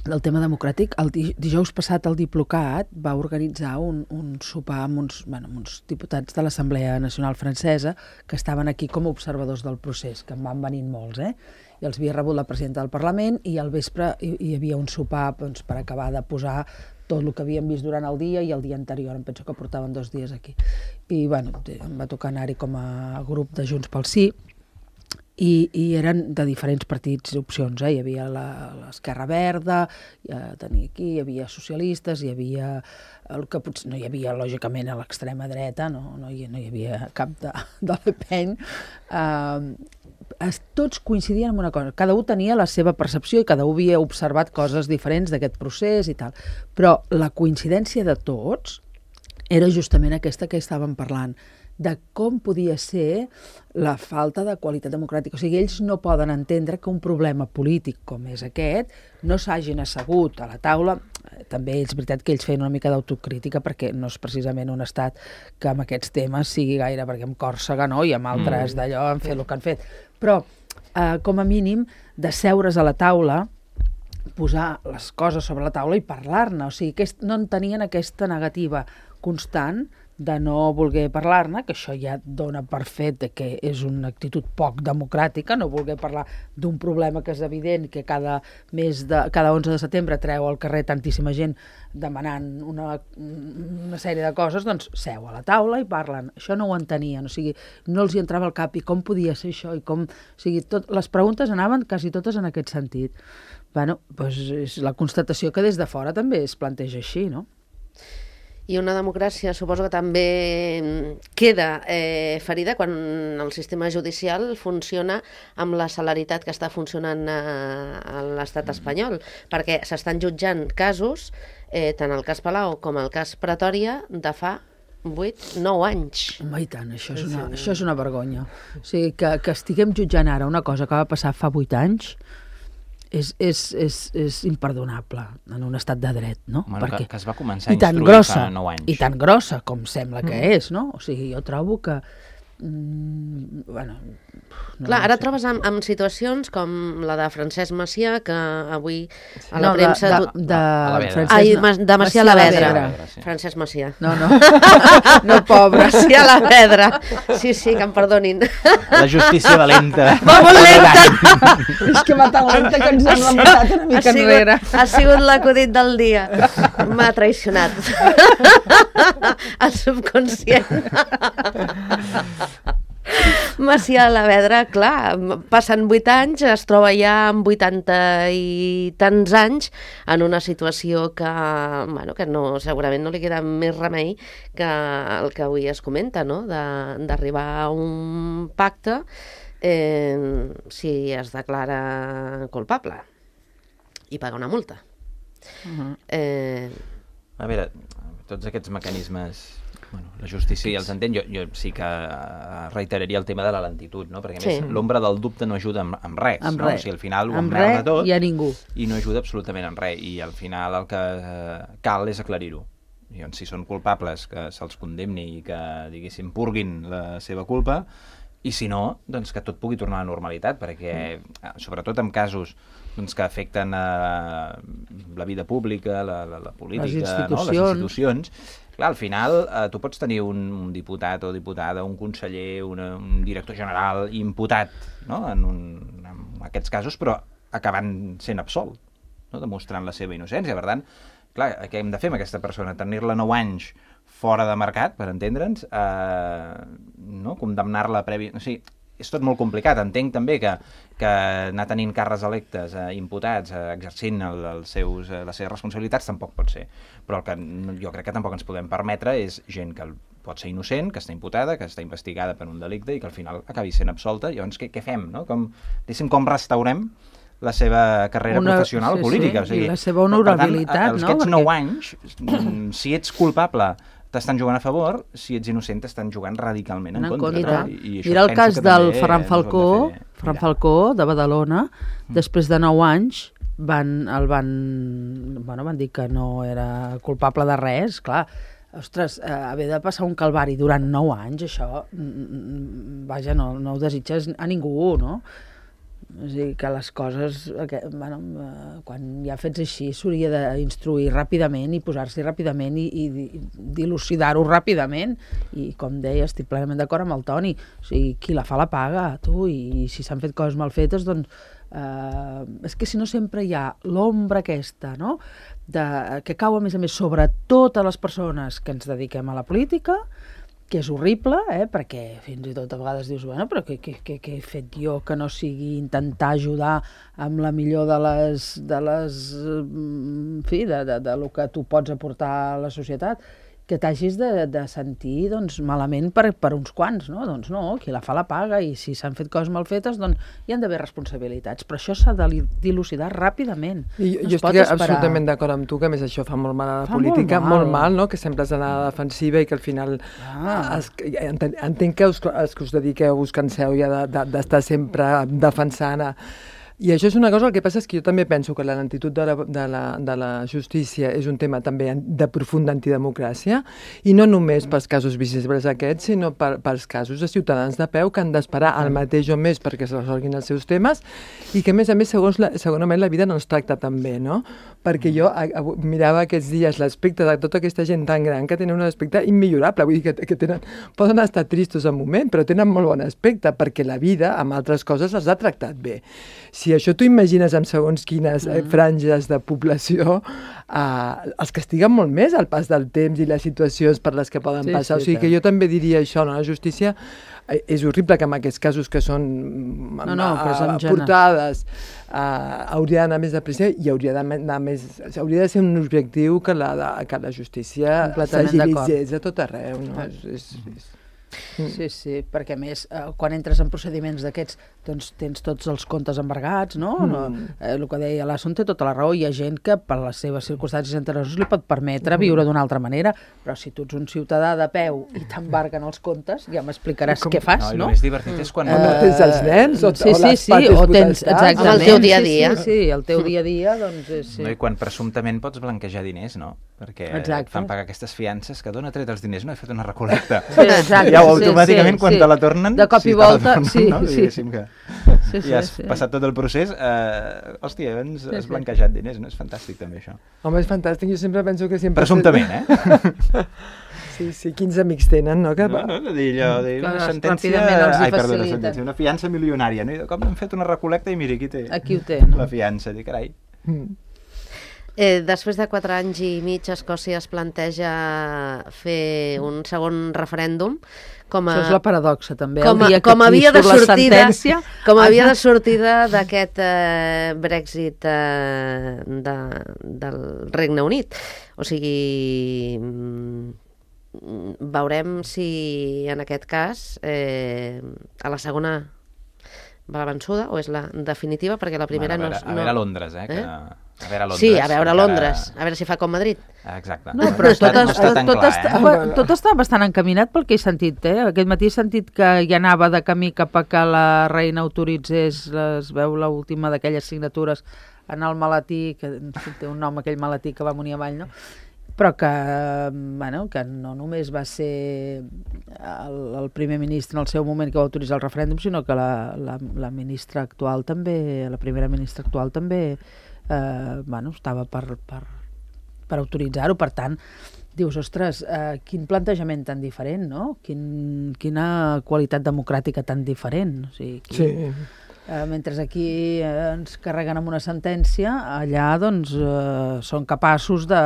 Speaker 4: del tema democràtic, el dijous passat el Diplocat va organitzar un, un sopar amb uns, bueno, amb uns diputats de l'Assemblea Nacional Francesa que estaven aquí com a observadors del procés, que en van venint molts, eh? I els havia rebut la presidenta del Parlament i al vespre hi, hi havia un sopar doncs, per acabar de posar tot el que havíem vist durant el dia i el dia anterior, em penso que portaven dos dies aquí. I bueno, em va tocar anar-hi com a grup de Junts pel Sí i, i eren de diferents partits i opcions, eh? Hi havia l'Esquerra Verda, ja tenia aquí, hi havia socialistes, hi havia el que potser no hi havia, lògicament, a l'extrema dreta, no, no, hi, no hi havia cap de, de Le Pen. Uh, tots coincidien en una cosa, cada un tenia la seva percepció i cada un havia observat coses diferents d'aquest procés i tal, però la coincidència de tots era justament aquesta que estàvem parlant, de com podia ser la falta de qualitat democràtica. O sigui, ells no poden entendre que un problema polític com és aquest no s'hagin assegut a la taula. També és veritat que ells feien una mica d'autocrítica perquè no és precisament un estat que amb aquests temes sigui gaire, perquè amb Còrsega no, i amb altres mm. d'allò han fet el que han fet. Però, eh, com a mínim, de seure's a la taula, posar les coses sobre la taula i parlar-ne. O sigui, que no en tenien aquesta negativa constant de no voler parlar-ne, que això ja dona per fet que és una actitud poc democràtica, no voler parlar d'un problema que és evident, que cada mes de, cada onze de setembre treu al carrer tantíssima gent demanant una, una sèrie de coses, doncs seu a la taula i parlen. Això no ho entenien, o sigui, no els hi entrava al cap i com podia ser això, i com... O sigui, tot, les preguntes anaven quasi totes en aquest sentit. Bueno, doncs és la constatació que des de fora també es planteja així, no?
Speaker 2: I una democràcia suposo que també queda eh, ferida quan el sistema judicial funciona amb la celeritat que està funcionant a, a l'estat espanyol, perquè s'estan jutjant casos, eh, tant el cas Palau com el cas Pretòria, de fa vuit, nou anys.
Speaker 4: Home, i tant, això és una, això és una vergonya. O sigui, que, que estiguem jutjant ara una cosa que va passar fa vuit anys, És, és, és, és imperdonable en un estat de dret, no?
Speaker 1: Bueno,
Speaker 4: Perquè...
Speaker 1: que, que es va començar a instruir fa nou anys.
Speaker 4: I tan grossa com sembla que mm. és, no? O sigui, jo trobo que... Mm, bueno,
Speaker 2: no Clar, ara sé. trobes amb, amb situacions com la de Francesc Macià, que avui a la
Speaker 4: no,
Speaker 2: premsa...
Speaker 4: De, de, de,
Speaker 2: de, Ai, de Macià Lavedra. Sí. Francesc Macià.
Speaker 4: No, no. No, pobre.
Speaker 2: Macià Lavedra. Sí, sí, que em perdonin.
Speaker 1: La justícia valenta.
Speaker 2: Va molt lenta.
Speaker 4: És que va tan lenta que ens hem remuntat una mica enrere.
Speaker 2: Ha sigut l'acudit del dia. M'ha traicionat. El subconscient. Macià Lavedra, clar, passen vuit anys, es troba ja amb vuitanta i tants anys en una situació que, bueno, que no, segurament no li queda més remei que el que avui es comenta, no? D'arribar a un pacte eh, si es declara culpable i pagar una multa.
Speaker 1: Uh-huh. eh... A veure, tots aquests mecanismes... Bueno, la justícia ja els entén, jo, jo sí que reiteraria el tema de la lentitud, no? Perquè a més sí. l'ombra del dubte no ajuda amb, amb res,
Speaker 4: amb
Speaker 1: no?
Speaker 4: res.
Speaker 1: O sigui, al final ho
Speaker 4: amb
Speaker 1: emmerda tot
Speaker 4: i a ningú.
Speaker 1: I no ajuda absolutament en res, i al final el que cal és aclarir-ho. Si són culpables, que se'ls condemni i que, diguéssim, purguin la seva culpa, i si no, doncs que tot pugui tornar a la normalitat, perquè mm. sobretot en casos doncs, que afecten a la vida pública, la, la, la política,
Speaker 4: les institucions,
Speaker 1: no? Les institucions. Clar, al final eh, tu pots tenir un, un diputat o diputada, un conseller, una, un director general imputat, no? en, un, en aquests casos, però acabant sent absolt, no? Demostrant la seva innocència. Per tant, clar, què hem de fer amb aquesta persona? Tenir-la nou anys fora de mercat, per entendre'ns, eh, no? Condemnar-la previ... O sigui, és tot molt complicat. Entenc també que, que anar tenint càrrecs electes, eh, imputats, eh, exercint el, els seus, eh, les seves responsabilitats tampoc pot ser. Però el que jo crec que tampoc ens podem permetre és gent que pot ser innocent, que està imputada, que està investigada per un delicte i que al final acabi sent absolta. Llavors, què, què fem? No? Com, com restaurem la seva carrera Una, professional
Speaker 4: sí,
Speaker 1: política?
Speaker 4: Sí,
Speaker 1: o sigui,
Speaker 4: i la seva honorabilitat,
Speaker 1: per tant,
Speaker 4: no?
Speaker 1: Aquests
Speaker 4: Perquè...
Speaker 1: nou anys, si ets culpable t'estan jugant a favor, si ets innocent t'estan jugant radicalment en, en contra. contra. No? I, i
Speaker 4: Mira el cas del Ferran Falcó, de Ferran Falcó de Badalona, mm. després de nou anys van, el van, bueno, van dir que no era culpable de res, clar. Ostres, eh, haver de passar un calvari durant nou anys, això, vaja, no, no ho desitges a ningú, no? O sigui, que les coses, que, bueno, eh, quan hi ha fets així, s'hauria d'instruir ràpidament i posar-s'hi ràpidament i, i dilucidar-ho ràpidament. I, com deia, estic plenament d'acord amb el Toni. O sigui, qui la fa la paga, tu, i, i si s'han fet coses mal fetes, doncs... Eh, és que si no sempre hi ha l'ombra aquesta, no?, de, que cau, a més a més, sobre totes les persones que ens dediquem a la política, que és horrible, eh? Perquè fins i tot a vegades dius, bueno, però què, què, què, què he fet jo que no sigui intentar ajudar amb la millor de les, de les, en fi, de, de, de lo que tu pots aportar a la societat, que t'hagis de, de sentir, doncs, malament per, per uns quants, no? Doncs no, qui la fa la paga, i si s'han fet coses mal fetes, doncs hi han d'haver responsabilitats, però això s'ha de dilucidar ràpidament.
Speaker 3: I no jo estic esperar... absolutament d'acord amb tu, que a més això fa molt mal a la fa política, molt mal. molt mal, no?, que sempre has d'anar a la defensiva i que al final ah. es, entenc, entenc que us, els que us dediqueu, us canseu ja d'estar de, de, sempre defensant a... I això és una cosa, el que passa és que jo també penso que la lentitud de la, de la, de la justícia és un tema també de profunda antidemocràcia, i no només pels casos visibles aquests, sinó per, pels casos de ciutadans de peu que han d'esperar el mateix o més perquè se resolguin els seus temes, i que a més a més, segons la, segurament, la vida no els tracta tan bé, no? Perquè jo a, a, mirava aquests dies l'aspecte de tota aquesta gent tan gran que tenen un aspecte immillorable, vull dir que, que tenen, poden estar tristos en un moment, però tenen molt bon aspecte, perquè la vida, amb altres coses, els ha tractat bé. Si això t'ho imagines amb segons quines eh, franges de població, eh, els castiguen molt més al pas del temps i les situacions per les que poden sí, passar. Sí, o sigui que jo també diria això, no? La justícia eh, és horrible que en aquests casos que són
Speaker 4: no, no,
Speaker 3: eh, portades eh, hauria d'anar més de pressa i hauria d'anar més... Hauria de ser un objectiu que la, de, que la justícia s'agilitzés a tot arreu, no? És, és, és...
Speaker 4: Sí, sí, perquè a més, eh, quan entres en procediments d'aquests, doncs tens tots els comptes embargats, no? Mm. no eh, el que deia l'Asson té tota la raó, hi ha gent que per les seves circumstàncies anteriors li pot permetre viure d'una altra manera, però si tu ets un ciutadà de peu i t'embarguen els comptes, ja m'explicaràs què fas, no?
Speaker 1: No, el més divertit és quan...
Speaker 3: Uh, no tens els nens o,
Speaker 4: sí,
Speaker 3: o les
Speaker 4: sí, sí, o tens, exactament,
Speaker 2: el teu dia a dia.
Speaker 4: Sí, sí, sí, el teu dia a dia, doncs... És, sí.
Speaker 1: No, i quan presumptament pots blanquejar diners, no? Perquè exacte. Et fan pagar aquestes fiances que d'on ha tret els diners, no he fet una recolecta.
Speaker 4: Sí, exacte.
Speaker 1: Ja automàticament, sí, quan sí. te la tornen...
Speaker 4: De cop i volta,
Speaker 1: tornen,
Speaker 4: sí,
Speaker 1: no?
Speaker 4: sí.
Speaker 1: Que
Speaker 4: sí, sí,
Speaker 1: ja has
Speaker 4: sí.
Speaker 1: passat tot el procés, eh, hòstia, abans
Speaker 4: sí,
Speaker 1: has
Speaker 4: sí.
Speaker 1: blanquejat diners, no? És fantàstic també això.
Speaker 3: Home, és fantàstic, jo sempre penso que sempre...
Speaker 1: Presumptament, eh?
Speaker 3: Sí, sí, quins amics tenen, no? Que...
Speaker 1: No, no, de dir allò, de una sentència... Ai, perdó, una sentència, una fiança milionària, no? I de cop hem fet una recolecta i mira, aquí té,
Speaker 4: aquí ho té, no?
Speaker 1: La fiança, dic, carai.
Speaker 3: Mm.
Speaker 2: Eh, després de quatre anys i mig, Escòcia es planteja fer un segon referèndum. Com a,
Speaker 4: això és la paradoxa, també.
Speaker 2: Com a,
Speaker 4: el dia
Speaker 2: com
Speaker 4: que
Speaker 2: havia de sortida,
Speaker 4: sentència,
Speaker 2: com havia de sortida d'aquest eh, Brexit eh, de, del Regne Unit. O sigui, veurem si en aquest cas eh, a la segona va la vençuda o és la definitiva, perquè la primera
Speaker 1: bueno, a veure,
Speaker 2: no...
Speaker 1: A veure a Londres, eh? eh? Que... A veure a Londres.
Speaker 2: Sí, a veure a Londres,
Speaker 1: encara...
Speaker 2: a veure si fa com Madrid.
Speaker 1: Exacte.
Speaker 4: No, però tot,
Speaker 1: no
Speaker 4: està,
Speaker 1: està
Speaker 4: tot,
Speaker 1: clar,
Speaker 4: està,
Speaker 1: eh?
Speaker 4: tot està bastant encaminat pel que he sentit, eh? Aquest matí he sentit que ja anava de camí cap a que la reina autoritzés, es veu l'última d'aquelles signatures, anar al maletí, que té un nom aquell maletí que va amunt i avall, no? Però que, bueno, que no només va ser el, el primer ministre en el seu moment que va autoritzar el referèndum, sinó que la, la, la ministra actual també, la primera ministra actual també eh, bueno, estava per, per, per autoritzar-ho. Per tant, dius, ostres, eh, quin plantejament tan diferent, no? Quin, quina qualitat democràtica tan diferent. O sigui, quin,
Speaker 3: sí.
Speaker 4: Eh, mentre aquí eh, ens carreguen amb una sentència, allà doncs eh, són capaços de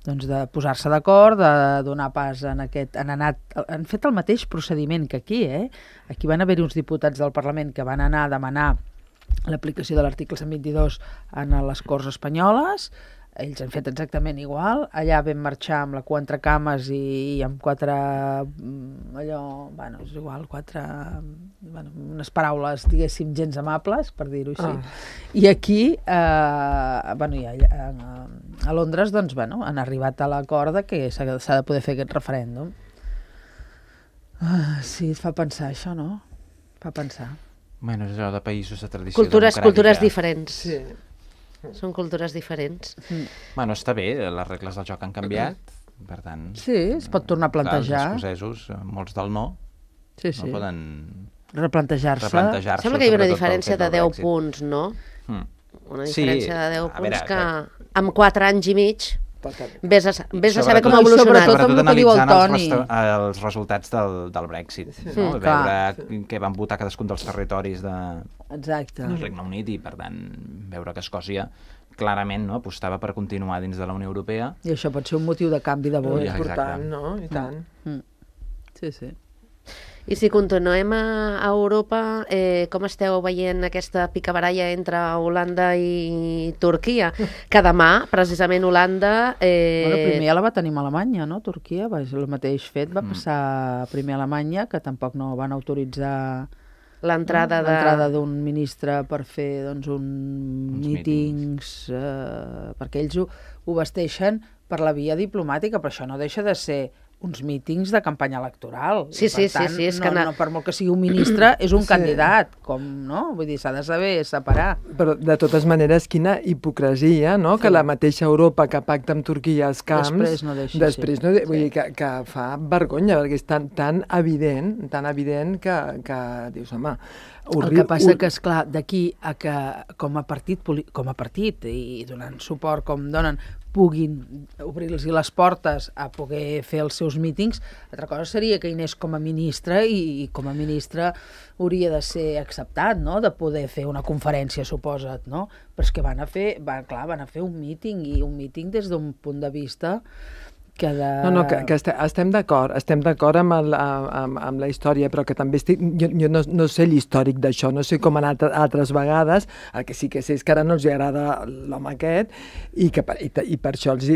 Speaker 4: doncs de posar-se d'acord, de donar pas en aquest... Han, anat, han fet el mateix procediment que aquí, eh? Aquí van haver-hi uns diputats del Parlament que van anar a demanar l'aplicació de l'article cent vint-i-dos en les Corts Espanyoles. Ells han fet exactament igual. Allà vam marxar amb la cua entre cames i, i amb quatre... allò, bueno, és igual, quatre... Bueno, unes paraules, diguéssim, gens amables, per dir-ho així. Ah. I aquí, eh, bueno, i allà, a Londres, doncs, bueno, han arribat a l'acord que s'ha de poder fer aquest referèndum. Ah, sí, et fa pensar això, no? Fa pensar.
Speaker 1: Bueno, és allò de països de tradició
Speaker 2: cultures,
Speaker 1: democràtica.
Speaker 2: Cultures diferents.
Speaker 3: Sí.
Speaker 2: Són cultures diferents.
Speaker 4: Mm.
Speaker 1: Bueno, està bé, les regles del joc han canviat, per tant...
Speaker 4: Sí, es pot tornar a plantejar.
Speaker 1: Els escocesos, molts del no,
Speaker 4: sí, sí.
Speaker 1: no poden...
Speaker 4: Replantejar-se.
Speaker 1: replantejar-se.
Speaker 2: Sembla que hi ha una diferència de deu punts, no?
Speaker 1: Mm.
Speaker 2: Una diferència sí, de deu punts
Speaker 1: veure,
Speaker 2: que,
Speaker 1: que
Speaker 2: amb quatre anys i mig vés a, vés a saber com
Speaker 1: ha
Speaker 2: evolucionat.
Speaker 4: Sobretot amb el que diu el Toni.
Speaker 1: Els, els resultats del, del Brexit, sí. no?
Speaker 4: Mm,
Speaker 1: veure
Speaker 4: clar.
Speaker 1: què van votar cadascun dels territoris de,
Speaker 4: Exacte.
Speaker 1: del Regne Unit i, per tant, veure que Escòcia clarament no, apostava per continuar dins de la Unió Europea.
Speaker 4: I això pot ser un motiu de canvi de vot.
Speaker 3: És important, no? I tant.
Speaker 4: Mm. Sí, sí.
Speaker 2: I si continuem a, a Europa, eh, com esteu veient aquesta picabaralla entre Holanda i Turquia? Que demà, precisament, Holanda... Eh...
Speaker 4: Bueno, primer ja la va tenir a Alemanya, no? Turquia, va, el mateix fet va passar primer a Alemanya, que tampoc no van autoritzar
Speaker 2: l'entrada
Speaker 4: no?
Speaker 2: de...
Speaker 4: l'entrada d'un ministre per fer doncs, un
Speaker 1: Uns
Speaker 4: mítings, eh, perquè ells ho, ho vesteixen per la via diplomàtica, però això no deixa de ser uns mítings de campanya electoral.
Speaker 2: Sí, sí,
Speaker 4: tant,
Speaker 2: sí, sí, és
Speaker 4: no,
Speaker 2: que na...
Speaker 4: no, per molt que sigui un ministre, és un
Speaker 3: Sí.
Speaker 4: candidat, com, no? Vull dir, s'ha de saber separar.
Speaker 3: Però, de totes maneres, quina hipocresia, no? Sí. Que la mateixa Europa que pacta amb Turquia els camps...
Speaker 4: Després no deixa,
Speaker 3: Després
Speaker 4: sí.
Speaker 3: no de... Vull
Speaker 4: Sí.
Speaker 3: dir que, que fa vergonya, perquè és tan, tan evident, tan evident que, que dius, home...
Speaker 4: El que passa que, esclar, d'aquí a que com a partit, com a partit i donant suport com donen, puguin obrir-los les portes a poder fer els seus mítings, altra cosa seria que hi anés com a ministre i, i com a ministre hauria de ser acceptat, no?, de poder fer una conferència, suposa't, no? Però és que van a fer, van, clar, van a fer un míting, i un míting des d'un punt de vista que de...
Speaker 3: No, no, que, que este, estem d'acord, estem d'acord amb, el, amb, amb la història, però que també estic... Jo, jo no, no sé l'històric d'això, no sé com ha anat altres vegades, el que sí que sé és que ara no els agrada l'home aquest, i, que, i, i per això els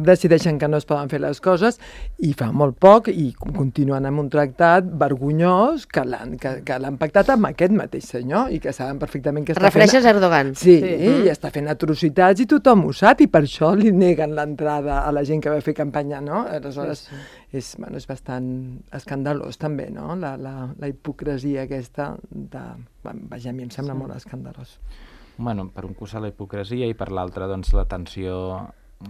Speaker 3: decideixen que no es poden fer les coses, i fa molt poc, i continuen amb un tractat vergonyós que l'han que, que l'han pactat amb aquest mateix senyor, i que saben perfectament que està
Speaker 2: Refereixes
Speaker 3: fent...
Speaker 2: a Erdogan.
Speaker 3: Sí,
Speaker 2: sí.
Speaker 3: Mm. i està fent atrocitats, i tothom ho sap, i per això li neguen l'entrada a la gent que va fer campanya, no? Aleshores, sí, sí. És, bueno, és bastant escandalós també, no? La, la, la hipocresia aquesta de... Vaja, a mi em sembla sí. molt escandalós.
Speaker 1: Bueno, per un costat la hipocresia i per l'altre, doncs, la tensió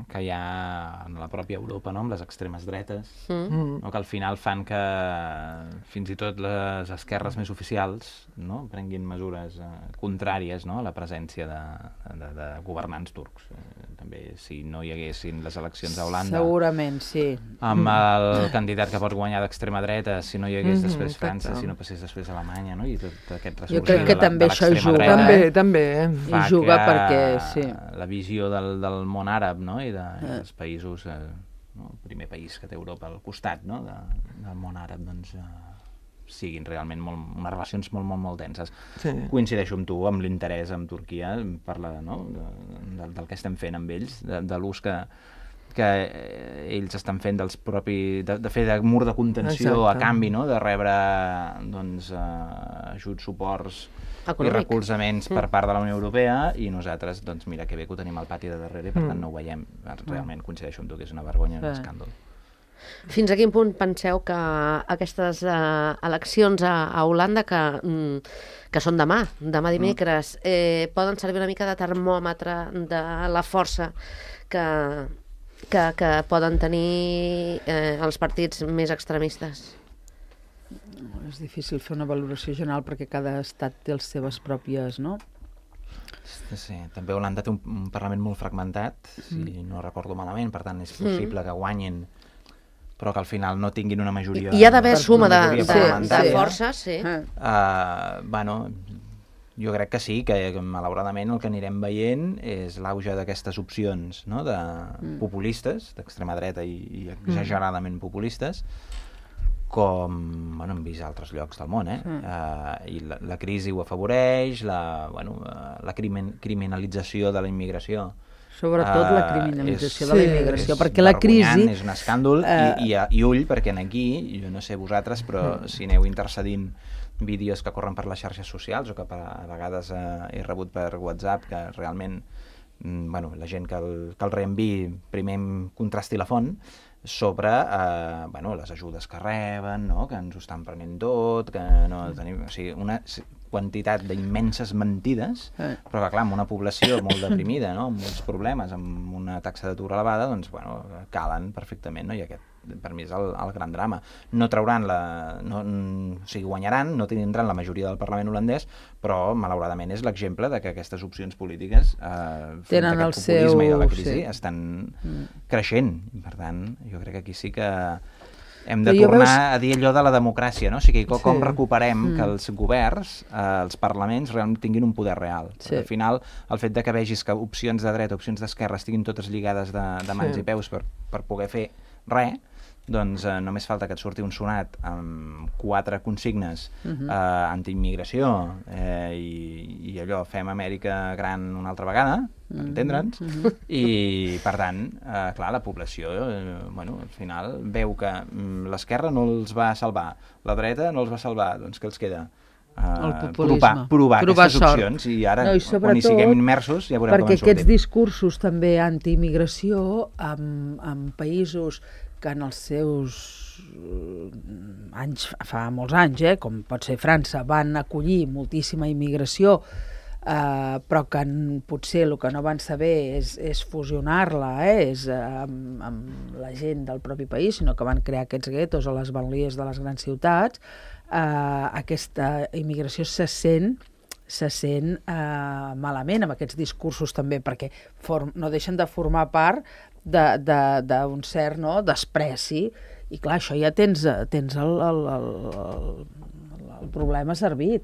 Speaker 1: que hi ha en la pròpia Europa, no?, amb les extremes dretes, mm. no?, que al final fan que fins i tot les esquerres més oficials, no?, prenguin mesures eh, contràries, no?, a la presència de, de, de governants turcs. Eh, també si no hi haguessin les eleccions a Holanda...
Speaker 4: Segurament, sí.
Speaker 1: Amb el candidat que pot guanyar d'extrema dreta, si no hi hagués
Speaker 3: Mm-hmm,
Speaker 1: després França,
Speaker 3: exacte.
Speaker 1: si no passés després Alemanya, no?, i tot aquest
Speaker 4: Jo crec que
Speaker 1: ressorgir de,
Speaker 4: també
Speaker 1: de
Speaker 4: això
Speaker 1: l'extrema
Speaker 4: juga.
Speaker 1: dreta,
Speaker 3: També, també.
Speaker 1: fa
Speaker 4: I juga
Speaker 1: que
Speaker 4: perquè, sí.
Speaker 1: la visió del, del món àrab, no?, i de, eh. dels països, eh, no?, el primer país que té Europa al costat, no?, de, del món àrab, doncs, eh, siguin realment molt, unes relacions molt, molt, molt denses.
Speaker 3: Sí.
Speaker 1: Coincideixo amb tu, amb l'interès amb Turquia, per la, no?, de, de, del que estem fent amb ells, de, de l'ús que, que ells estan fent dels propi, de, de fer de mur de contenció. Exacte. A canvi, no?, de rebre doncs, eh, ajuts, suports econòmic i recolzaments mm. per part de la Unió Europea, i nosaltres, doncs mira que bé que ho tenim al pati de darrere i per mm. tant no ho veiem. Realment coincideixo amb tu que és una vergonya, un escàndol.
Speaker 2: Fins a quin punt penseu que aquestes uh, eleccions a, a Holanda, que, mm, que són demà, demà dimecres, eh, poden servir una mica de termòmetre de la força que, que, que poden tenir eh, els partits més extremistes?
Speaker 4: És difícil fer una valoració general perquè cada estat té les seves pròpies, no?
Speaker 1: Sí, també Holanda té un, un Parlament molt fragmentat, si mm. no recordo malament, per tant és possible mm. que guanyin, però que al final no tinguin una majoria...
Speaker 2: Hi ha d'haver suma de, de,
Speaker 1: de,
Speaker 2: de forces, sí.
Speaker 1: Uh, bueno, jo crec que sí, que malauradament el que anirem veient és l'auge d'aquestes opcions, no?, de mm. populistes, d'extrema dreta i, i exageradament populistes, com bueno, hem vist a altres llocs del món, eh? Mm. Uh, I la, la crisi ho afavoreix, la, bueno, uh, la crimen, criminalització de la immigració.
Speaker 4: Sobretot uh, la criminalització és, de la immigració, sí, perquè la crisi...
Speaker 1: És un escàndol, uh, i, i, i ull, perquè aquí, jo no sé vosaltres, però mm. si aneu intercedint vídeos que corren per les xarxes socials o que per, a vegades uh, he rebut per WhatsApp, que realment bueno, la gent que el, que el reenviï primer contrasti la font sobre eh, bueno, les ajudes que reben, no? Que ens ho estan prenent tot, que no tenim... O sigui, una quantitat d'immenses mentides, eh. però que, clar, amb una població molt deprimida, no? Amb molts problemes, amb una taxa d'atur elevada, doncs, bueno, calen perfectament, no? I aquest, per mi, és el, el gran drama. No trauran la... No, o sigui, guanyaran, no tindran la majoria del Parlament holandès, però, malauradament, és l'exemple de que aquestes opcions polítiques eh, front a aquest populisme seu... i de la crisi sí. estan mm. creixent. I, per tant, jo crec que aquí sí que hem de tornar veus... a dir allò de la democràcia, no? O sigui, com, sí. com recuperem mm. que els governs, eh, els parlaments, realment tinguin un poder real. Sí. Al final, el fet de que vegis que opcions de dreta, opcions d'esquerra estiguin totes lligades de, de mans sí. i peus per, per poder fer res, doncs eh, només falta que et surti un sonat amb quatre consignes uh-huh. eh, antiimmigració eh, i, i allò, fem Amèrica gran una altra vegada, uh-huh. entendre'ns, uh-huh. i per tant, eh, clar, la població, eh, bueno, al final veu que mm, l'esquerra no els va salvar, la dreta no els va salvar, doncs què els queda? Uh, provar, provar, provar aquestes sort. Opcions i ara, no, i quan hi siguem immersos, ja veurem com en sortim.
Speaker 4: Perquè aquests discursos també antiimmigració en, en països que en els seus anys, fa molts anys, eh, com pot ser França, van acollir moltíssima immigració, eh, però que en, potser el que no van saber és, és fusionar-la eh, és, eh, amb, amb la gent del propi país, sinó que van crear aquests guetos a les banlieues de les grans ciutats. Eh, aquesta immigració se sent se sent eh, malament amb aquests discursos també, perquè form, no deixen de formar part d'un cert no, despreci, i clar, això ja tens, tens el, el, el, el, el problema servit.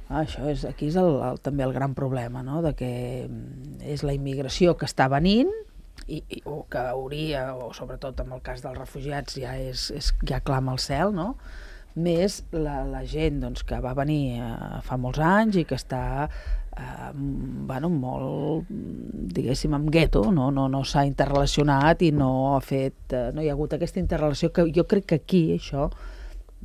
Speaker 4: Ah, això és, aquí és el, el, també el gran problema, no? De que és la immigració que està venint, i, i, o que hauria, o sobretot en el cas dels refugiats ja, és, és, ja clama al cel, no? Més la, la gent doncs, que va venir eh, fa molts anys i que està eh, bueno, molt, diguéssim, en gueto, no, no, no s'ha interrelacionat i no ha fet, eh, no hi ha hagut aquesta interrelació que jo crec que aquí això,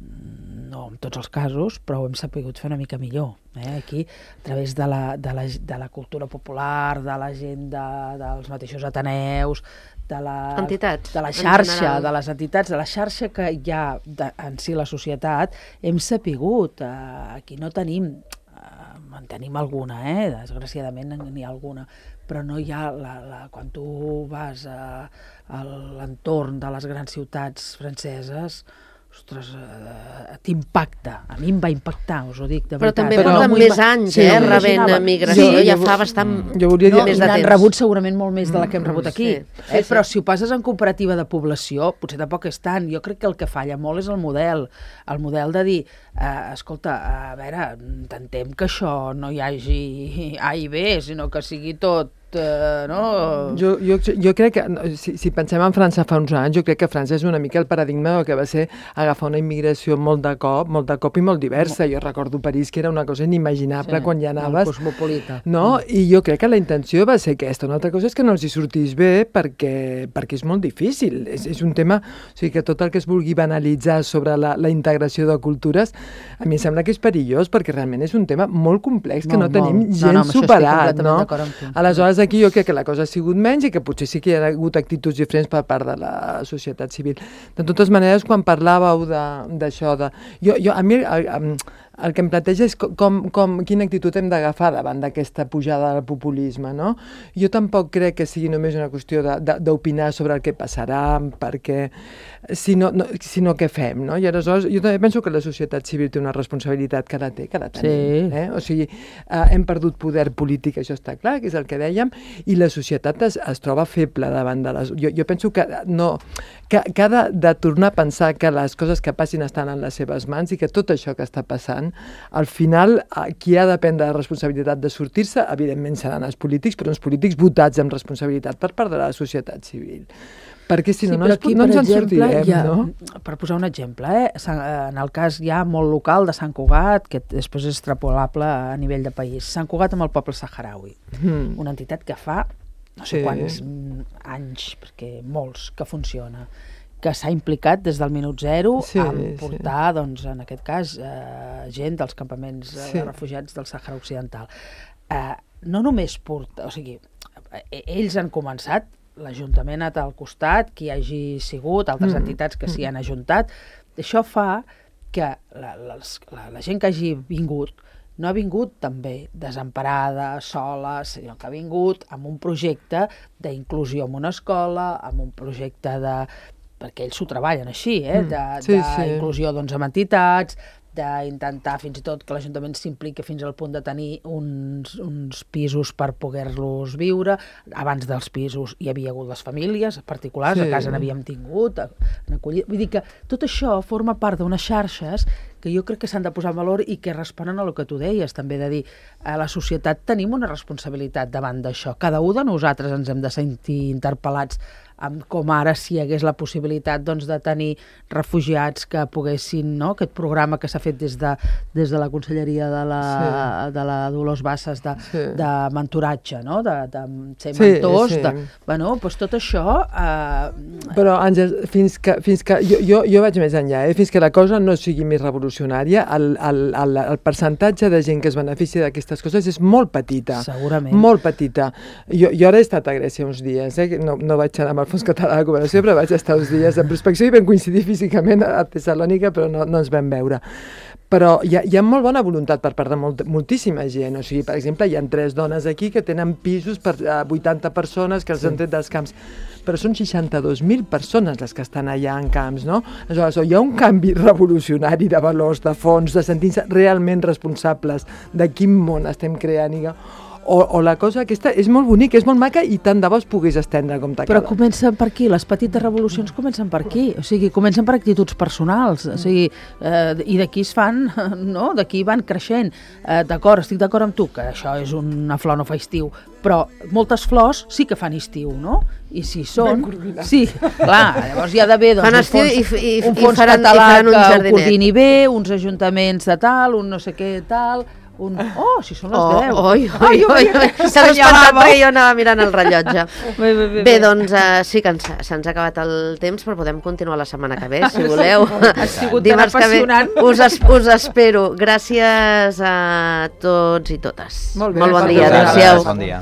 Speaker 4: no en tots els casos, però ho hem sapigut fer una mica millor. Eh? Aquí, a través de la, de, la, de la cultura popular, de la gent de, dels mateixos ateneus, de la,
Speaker 2: entitats,
Speaker 4: de la xarxa, de les entitats, de la xarxa que hi ha de, en si la societat, hem sapigut. Eh, aquí no tenim, eh, en tenim alguna, eh? Desgraciadament n'hi ha alguna, però no hi ha, la, la, quan tu vas a, a l'entorn de les grans ciutats franceses, ostres, uh, t'impacta. A mi em va impactar, us ho dic, de
Speaker 2: però
Speaker 4: veritat.
Speaker 2: També porten no més anys, sí, eh, rebent migració, sí, ja fa bastant
Speaker 4: jo no, dir, més de temps. N'han rebut segurament molt més de la que hem rebut aquí. Sí, sí, eh, però sí. Si ho passes en comparativa de població, potser tampoc és tant. Jo crec que el que falla molt és el model. El model de dir, eh, escolta, a veure, intentem que això no hi hagi A i B, sinó que sigui tot Uh, no?
Speaker 3: jo, jo, jo crec que, si, si pensem en França fa uns anys, jo crec que França és una mica el paradigma del que va ser agafar una immigració molt de cop, molt de cop i molt diversa. Jo recordo París, que era una cosa inimaginable sí, quan hi anaves.
Speaker 4: Cosmopolita.
Speaker 3: No? Mm. I jo crec que la intenció va ser aquesta. Una altra cosa és que no els hi sortís bé perquè, perquè és molt difícil. És, és un tema, o sigui, que tot el que es vulgui banalitzar sobre la, la integració de cultures, a mi em sembla que és perillós, perquè realment és un tema molt complex, que molt, no tenim molt. gens no, no, superat. No? Aleshores, aquí jo crec que la cosa ha sigut menys i que potser sí que hi ha hagut actituds diferents per part de la societat civil. De totes maneres, quan parlàveu d'això, de, de... Jo, jo, a mi el, el que em planteja és com, com, quina actitud hem d'agafar davant d'aquesta pujada del populisme, no? Jo tampoc crec que sigui només una qüestió d'opinar sobre el que passarà, perquè sinó, no, sinó què fem, no? I aleshores jo també penso que la societat civil té una responsabilitat que la té, que la tenim. Sí. Eh? O sigui, eh, hem perdut poder polític, això està clar, que és el que dèiem, i la societat es, es troba feble davant de les... Jo, jo penso que, no, que, que ha de, de tornar a pensar que les coses que passin estan en les seves mans i que tot això que està passant, al final, qui ha de prendre la responsabilitat de sortir-se, evidentment seran els polítics, però uns polítics votats amb responsabilitat per part de la societat civil. Perquè si no, sí, no, aquí, no ens en exemple, sortirem, ha, no?
Speaker 4: Per posar un exemple, eh? En el cas ja molt local de Sant Cugat, que després és extrapolable a nivell de país, Sant Cugat amb el poble saharaui, mm. una entitat que fa no sé sí. quants anys, perquè molts, que funciona, que s'ha implicat des del minut zero sí, a portar, sí. doncs, en aquest cas, eh, gent dels campaments sí. de refugiats del Sàhara Occidental. Eh, no només porta, o sigui, ells han començat, l'Ajuntament ha estat al costat, qui hagi sigut, altres mm. entitats que s'hi han ajuntat. Això fa que la, la, la, la gent que hagi vingut no ha vingut també desemparada, sola, sinó que ha vingut amb un projecte d'inclusió en una escola, amb un projecte de... perquè ells s'ho treballen així, eh? d'inclusió sí, sí. doncs, amb entitats, d'intentar fins i tot que l'Ajuntament s'impliqui fins al punt de tenir uns, uns pisos per poder-los viure. Abans dels pisos hi havia hagut les famílies particulars, sí. a casa n'havíem tingut, acollit. Vull dir que tot això forma part d'unes xarxes que jo crec que s'han de posar en valor i que responen a el que tu deies, també de dir, a la societat tenim una responsabilitat davant d'això. Cada un de nosaltres ens hem de sentir interpel·lats amb com ara si hi hagués la possibilitat doncs, de tenir refugiats que poguessin, no? Aquest programa que s'ha fet des de, des de la Conselleria de la, sí. de la Dolors Bassas de, sí. de mentoratge, no? de, de ser mentors, sí, sí. De, bueno, doncs tot això... Eh...
Speaker 3: Però, Àngels, fins que, fins que jo, jo, jo vaig més enllà, eh? Fins que la cosa no sigui més revolucionària, el, el, el, el percentatge de gent que es beneficia d'aquestes coses és molt petita.
Speaker 4: Segurament.
Speaker 3: Molt petita. Jo, jo ara he estat a Grècia uns dies, eh? no, no vaig anar amb el Fons Català de Cooperació, però vaig estar uns dies de prospecció i vam coincidir físicament a Tessalònica, però no, no ens vam veure. Però hi ha, hi ha molt bona voluntat per part de molt, moltíssima gent. O sigui, per exemple, hi ha tres dones aquí que tenen pisos per a vuitanta persones que els sí. han tret dels camps. Però són seixanta-dos mil persones les que estan allà en camps, no? Aleshores, hi ha un canvi revolucionari de valors, de fons, de sentir-se realment responsables de quin món estem creant. O, o la cosa aquesta és molt bonica, és molt maca i tant de bo es pogués estendre com t'acaba.
Speaker 4: Però comencen per aquí, les petites revolucions comencen per aquí, o sigui, comencen per actituds personals, o sigui, eh, i d'aquí es fan, no?, d'aquí van creixent. Eh, d'acord, estic d'acord amb tu, que això és una flor no fa estiu, però moltes flors sí que fan estiu, no? I si són... Sí, clar, llavors hi ha d'haver doncs, un fons, i, i, un fons i faran, català i que ho coordini bé, uns ajuntaments de tal, un no sé què tal... Un... Oh, si són les
Speaker 2: oh,
Speaker 4: deu.
Speaker 2: Oi, oi, oi, oi. S'ha espantat perquè jo anava mirant el rellotge. Bé, bé, bé, bé doncs uh, sí que ens, se'ns ha acabat el temps, però podem continuar la setmana que ve, si voleu.
Speaker 4: Ha sigut tan apassionant.
Speaker 2: Us, es, us espero. Gràcies a tots i totes.
Speaker 3: Molt bé.
Speaker 2: Molt bon dia. Adéu-siau.
Speaker 1: Bon dia.